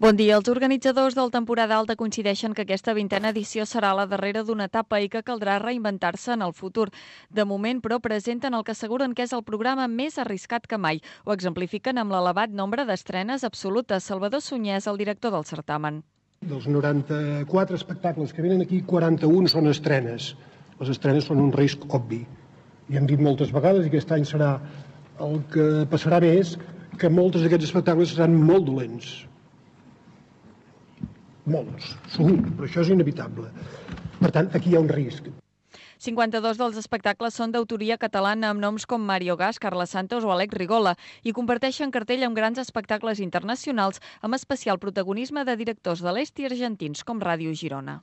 Bon dia. Els organitzadors del Temporada Alta coincideixen que aquesta 20a edició serà la darrera d'una etapa i que caldrà reinventar-se en el futur. De moment, però, presenten el que asseguren que és el programa més arriscat que mai. Ho exemplifiquen amb l'elevat nombre d'estrenes absolutes. Salvador Sunyés, el director del certamen. Dels 94 espectacles que venen aquí, 41 són estrenes. Les estrenes són un risc obvi. I hem dit moltes vegades, i aquest any serà el que passarà més, que molts d'aquests espectacles seran molt dolents. Molts, segur, però això és inevitable. Per tant, aquí hi ha un risc. 52 dels espectacles són d'autoria catalana amb noms com Mario Gas, Carles Santos o Alex Rigola i comparteixen cartell amb grans espectacles internacionals amb especial protagonisme de directors de l'est i argentins com Ràdio Girona.